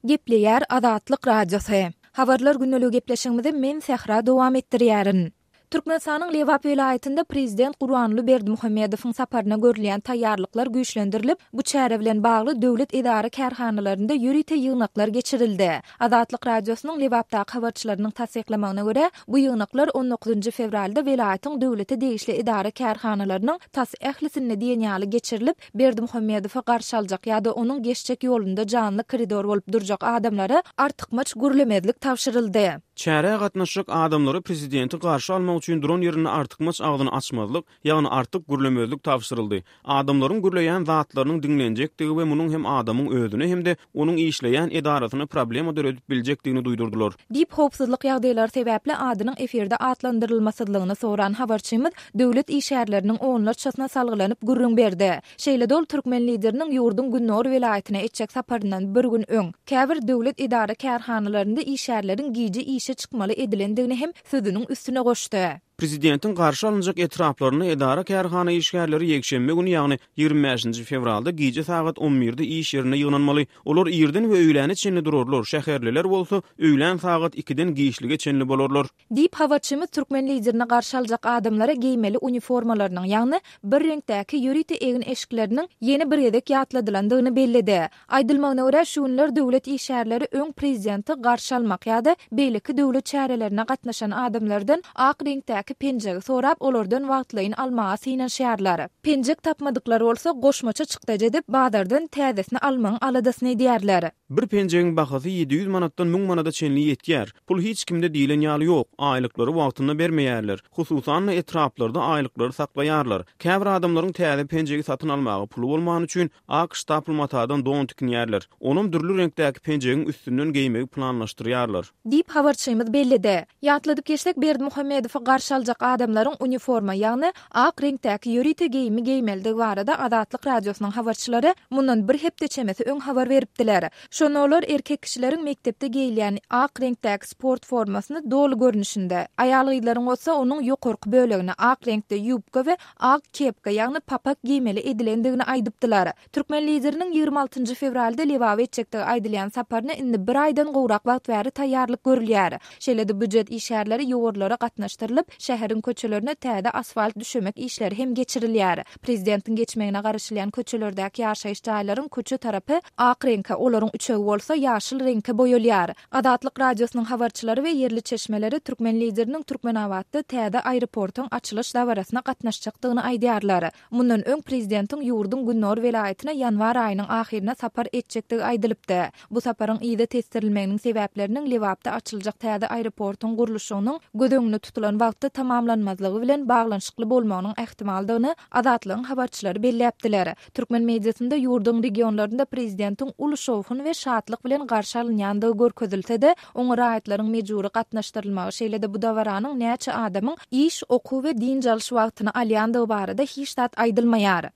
Gepleýär Azatlyk Radiosy. Habarlar gündeligi gepleşigimizi men Sähra dowam etdirýärin. Türkmenistanyň Lebap welaýatynda prezident Gurbanguly Berdimuhamedowyň saparyna görülýän taýýarlyklar güýçlendirilip, bu çäre bilen bagly döwlet edara-kärhanalarynda ýörite ýygnaklar geçirildi. Azatlyk Radiosynyň Lebapdaky habarçylarynyň tassyklamagyna görä, bu ýygnaklar on dokuzynjy fewralda welaýatyň döwlete degişli edara-kärhanalarynyň tas ählisinde diýen ýaly geçirilip, Berdimuhamedowy garşy aljak ýa-da onuň geçjek ýolunda janly koridor bolup durjak adamlara artykmaç gürlemezlik tabşyryldy. Çärä gatnaşjak adamlara prezidenti garşy almak üçin duran ýerinde artykmaç agzyny açmazlyk, ýagny artyk gürlemezlik tabşyryldy. Adamlaryň gürleýän zatlarynyň diňlenjekdigi we munuň hem adamyň özüne hem-de onuň işleýän edarasyna problema döredip biljekdigini duýdurdylar. Diýip, howpsuzlyk ýagdaýlary sebäpli adynyň efirde atlandyrylmasyzlygyny soran habarçymyz döwlet işgärleriniň onlarçasyna salgylanyp gürrüň berdi. Şeýle-de ol türkmen Lideriniň ýurduň gündogar welaýatyna etjek saparyndan bir gün öň, käbir döwlet edara-kärhanalarynda işgärleriň gije işe çykmaly edilendigini hem sözüniň üstüne goşdy. Prezidentiň garşy alynjak etraplarynda edara-kärhana işgärleri ýekşenbe güni, ýagny 25 bäşinji fewralda gije sagat on birde iş ýerinde ýygnanmaly. Olar irden we öýläne çenli durarlar, şäherliler bolsa öýlän sagat ikiden giçlige çenli bolarlar. Diýip, habarçymyz türkmen Liderini garşy aljak adamlara geýmeli uniformalarynyň, ýagny bir reňkdäki ýörite egin-eşikleriniň ýene bir gezek ýatladylandygyny belledi. Aýdylmagyna görä, şu günler döwlet işgärleri öň prezidenti garşy almak ýa-da beýleki döwlet çärelerine gatnaşan adamlardan ak reňkdäki penjegi sorap, olardan wagtlaýyn almaga synanyşýarlar. Penjek tapmadyklar bolsa goşmaça çykdajy edip, bazardan täzesini almagyň aladasyny edýärler. Bir penjegiň bahasy 700 manatdan 1000 manada çenli ýetýär. Pul hiç kimde diýlen ýaly ýok, aýlyklary wagtynda bermeýärler. Hususan-da, etraplarda aýlyklary saklaýarlar. Käbir adamlaryň täze penjegi satyn almaga puly bolmany üçin, Ak ştapl matadan don tikinýärler. Onam dürli reňkdäki penjegiň üstünden geýmegi planlaşdyrýarlar. Diýip, habarçymyz belledi. Ýatladyp geçsek, Berdimuhamedowy garşy aljak adamlaryň uniforma, ýagny ak reňkdäki ýörite geýimi geýmelidigi barada Azatlyk Radiosynyň habarçylary mundan bir hepde çemesi öň habar beripdiler. Şonda olar erkek kişileriň mekdepde geýilýän ak reňkdäki sport formasyny doly görnüşinde, aýal-gyzlaryň bolsa onuň ýokarky bölegini ak reňkde ýubka we ak kepka, ýagny papak geýmeli edilendigini aýdypdylar. Türkmen Lideriniň 26 njy fewralda Lebaba etjekdigi aýdylýan saparyna indi bir aýdan gowrak wagt bäri taýýarlyk görülýär. Şeýle-de býujet işgärleri ýowarlara gatnaşdyrylyp, şäheriň köçelerine täze asfalt düşemek işleri hem geçirilýär. Prezidentiň geçmegine garaşylýan köçelerdäki ýaşaýyş jaýlaryň köçe tarapy ak reňke, olaryň üçegi bolsa ýaşyl reňke boýalýar. Azatlyk Radiosynyň habarçylary we ýerli çeşmeleri türkmen Lideriniň Türkmenabatda täze aeroportuň açylyş dabarasyna gatnaşjakdygyny aýdýarlar. Mundan öň prezidentiň ýurduň gündogar welaýatyna ýanwar aýynyň ahyryna sapar etjekdigi aýdylypdy. Bu saparyň yza tesdirilmeginiň sebäpleriniň Lebapda açyljak täze aeroportuň gurluşygynyň göz öňünde tutulan wagtda tamamlanmazlygy bilen baglanyşykly bolmagynyň ähtimaldygyny Azatlygyň habarçylary belläpdiler. Türkmen mediasynda ýurduň regionlarynda prezidentiň uly şowhun we şatlyk bilen garşy alynýandygy görkezilse-de, oňa raýatlaryň mejbury gatnaşdyrylmagy, şeýle-de bu dabaranyň näçe adamyň iş, okuw we dynç alyş wagtyny alýandygy barada hiç zat aýdylmaýar.